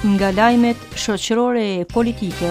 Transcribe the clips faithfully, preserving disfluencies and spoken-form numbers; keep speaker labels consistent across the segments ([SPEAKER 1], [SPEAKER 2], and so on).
[SPEAKER 1] Nga lajmet shoqërore e politike.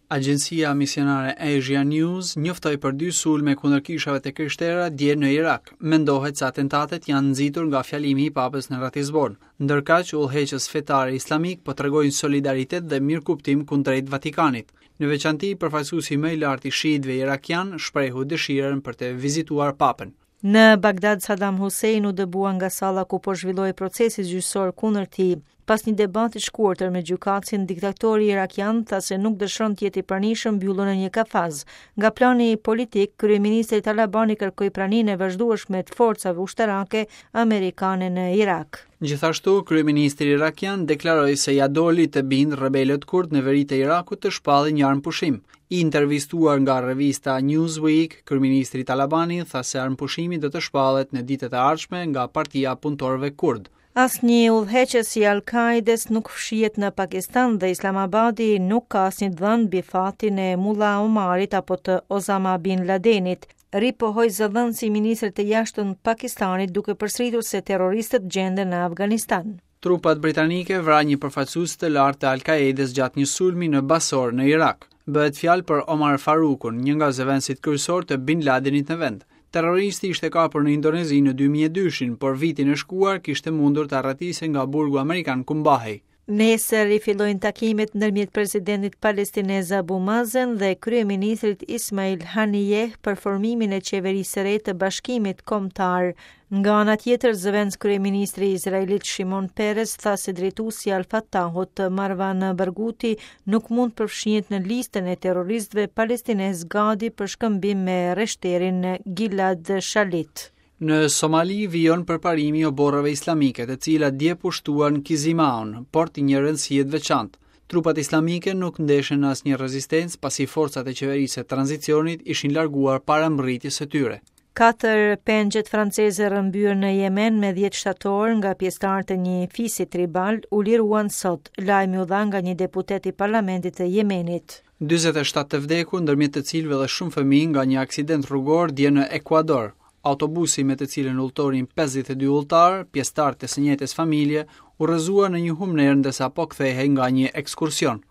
[SPEAKER 2] Agjencia misionare Asia News njoftoi për dy sulme kundër kishave të krishtera dje në Irak. Mendohet se atentatet janë nxitur nga fjalimi i papës në Ratisbon. Ndërkaq, udhëheqës fetar islamik po tregojnë solidaritet dhe mirëkuptim kundrejt Vatikanit. Në veçanti, përfaqësuesi më i lartë i shiitëve irakian shprehu dëshirën për të vizituar papën.
[SPEAKER 1] Në Bagdad, Saddam Hussein u dëbua nga salla ku po zhvillohej procesi gjyqësor kundër tij. Pas një debati shkurtër me gjykatësin, diktatori irakian tha se nuk dëshiron të jetë i pranishëm mbyllur në një kafaz. Nga plani politik, kryeministri Talabani kërkoi praninë e vazhdueshme të forcave ushtarake amerikane në Irak.
[SPEAKER 2] Gjithashtu, kryeministri irakian deklaroi se ja doli të bind rebelët kurd në veri të Irakut të shpallin një armëpushim. I intervistuar nga revista Newsweek, kryeministri Talabani tha se armëpushimi do të shpallet në ditët e ardhshme nga Partia Punëtorëve Kurd.
[SPEAKER 1] Asnjë udhëheqës i Al-Qaedes nuk fshihet në Pakistan dhe Islamabadi nuk ka asnjë dhënë mbi fatin e Mullah Omarit apo të Osama bin Ladenit, ripohoi zëdhënësi i ministrit të jashtëm Pakistanit, duke përsëritur se terroristët gjenden në Afganistan.
[SPEAKER 2] Trupat britanike vranë një përfaqësues të lartë të Al-Qaedes gjatë një sulmi në Basor në Irak. Bëhet fjalë për Omar Farukun, një nga zëvendësit kryesor të Bin Ladenit në vend. Terroristi ishte kapur në Indonezi në dy mijë e dyshin, por vitin e shkuar kishte mundur të arratisej nga burgu amerikan ku mbahej.
[SPEAKER 1] Nesër rifillojnë takimet ndërmjet presidentit palestinez Abu Mazen dhe kryeministrit Ismail Haniyeh për formimin e qeverisë së re të Bashkimit Kombëtar. Nga ana tjetër, zëvendës kryeministri izraelit Shimon Peres tha se drejtuesi i Al-Fatahut Marwan Barghouti nuk mund të përfshihet në listën e terroristëve palestinez gati për shkëmbim me rreshterin Gilad Shalit.
[SPEAKER 2] Në Somali vijon përparimi i oborreve islamike, të cilat dje pushtuan Kizimaun, port i një rëndësie të veçantë. Trupat islamike nuk ndeshen në asnjë rezistencë, pasi forcat e qeverisë së tranzicionit ishin larguar para mbërritjes së tyre.
[SPEAKER 1] Katër pengjet franceze rrëmbyer në Jemen me dhjetë shtator nga pjesëtarët e një fisi tribal u liruan sot. Lajmi u dha nga një deputet i parlamentit të Jemenit.
[SPEAKER 2] dyzet e shtatë të vdekur, ndërmjet të cilëve dhe shumë fëmijë nga një aksident rrugor dje në Ekuador. Autobusi me të cilin udhëtonin pesëdhjetë e dy udhëtar, pjesëtar të së njëjtës familje, u rrëzua në një humnerë ndërsa po kthehej nga një ekskursion.